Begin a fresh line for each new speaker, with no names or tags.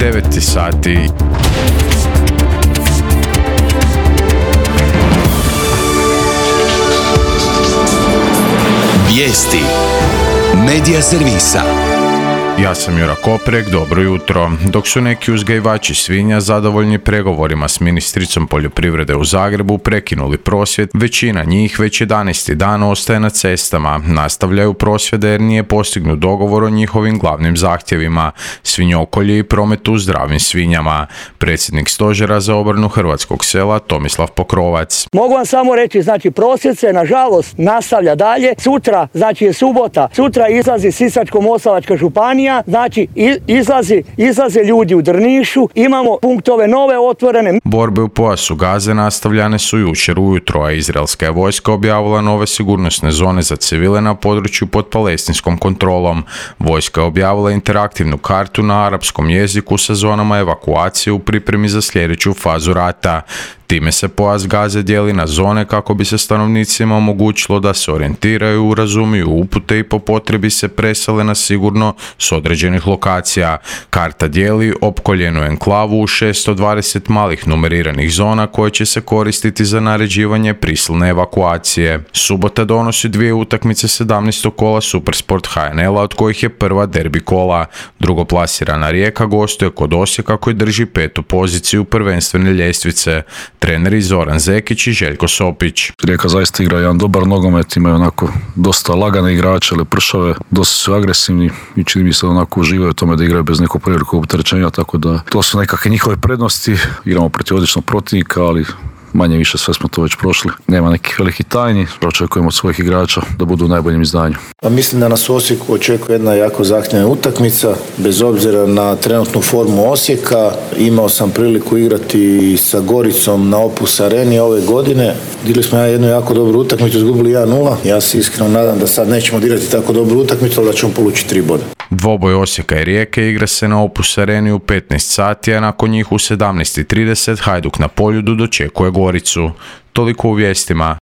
9 sati.
Vijesti Medija servisa.
Ja sam Jura Koprek, dobro jutro. Dok su neki uzgajivači svinja zadovoljni pregovorima s ministricom poljoprivrede u Zagrebu prekinuli prosvjed, većina njih već 11. dan ostaje na cestama. Nastavljaju prosvjede jer nije postignut dogovor o njihovim glavnim zahtjevima, svinjokolji i prometu zdravim svinjama. Predsjednik stožera za obranu hrvatskog sela Tomislav Pokrovac.
Mogu vam samo reći, prosvjed se nažalost nastavlja dalje. Sutra, je subota, sutra izlazi Sisačko-moslavačka županija. Izlaze ljudi u Drnišu, imamo punktove nove otvorene.
Borbe u pojasu Gaze nastavljane su jučer ujutro, a izraelska je vojska objavila nove sigurnosne zone za civile na području pod palestinskom kontrolom. Vojska je objavila interaktivnu kartu na arapskom jeziku sa zonama evakuacije u pripremi za sljedeću fazu rata. Time se pojas Gaze dijeli na zone kako bi se stanovnicima omogućilo da se orijentiraju, razumiju upute i po potrebi se presele na sigurno s određenih lokacija. Karta dijeli opkoljenu enklavu u 620 malih numeriranih zona koje će se koristiti za naređivanje prisilne evakuacije. Subota donosi 2 utakmice 17. kola Supersport HNL-a, od kojih je prva derbi kola. Drugoplasirana Rijeka gostuje kod Osijeka koji drži 5. poziciju prvenstvene ljestvice. Treneri Zoran Zekić i Željko Sopić.
Rijeka zaista igra jedan dobar nogomet, imaju onako dosta lagane igrače, lepršave, dosta su agresivni i čini mi se onako uživaju u tome da igraju bez nekog prevelikog opterećenja, tako da to su nekakve njihove prednosti. Igramo protiv odličnog protivnika, ali manje više sve smo to već prošli. Nema nekih velikih tajni, očekujemo od svojih igrača da budu u najboljem izdanju.
Mislim da nas u Osijeku očekuje jedna jako zahtjevna utakmica, bez obzira na trenutnu formu Osijeka. Imao sam priliku igrati sa Goricom na Opus Areni ove godine. Digli smo jednu jako dobru utakmicu, izgubili 1-0. Ja se iskreno nadam da sad nećemo odigrati tako dobru utakmicu, ali da ćemo polučiti 3 boda.
Dvoboj Osijeka i Rijeke igra se na Opus Areni u 15 sati, a nakon njih u 17:30 Hajduk na Poljudu dočekuje Goricu. Toliko u vijestima.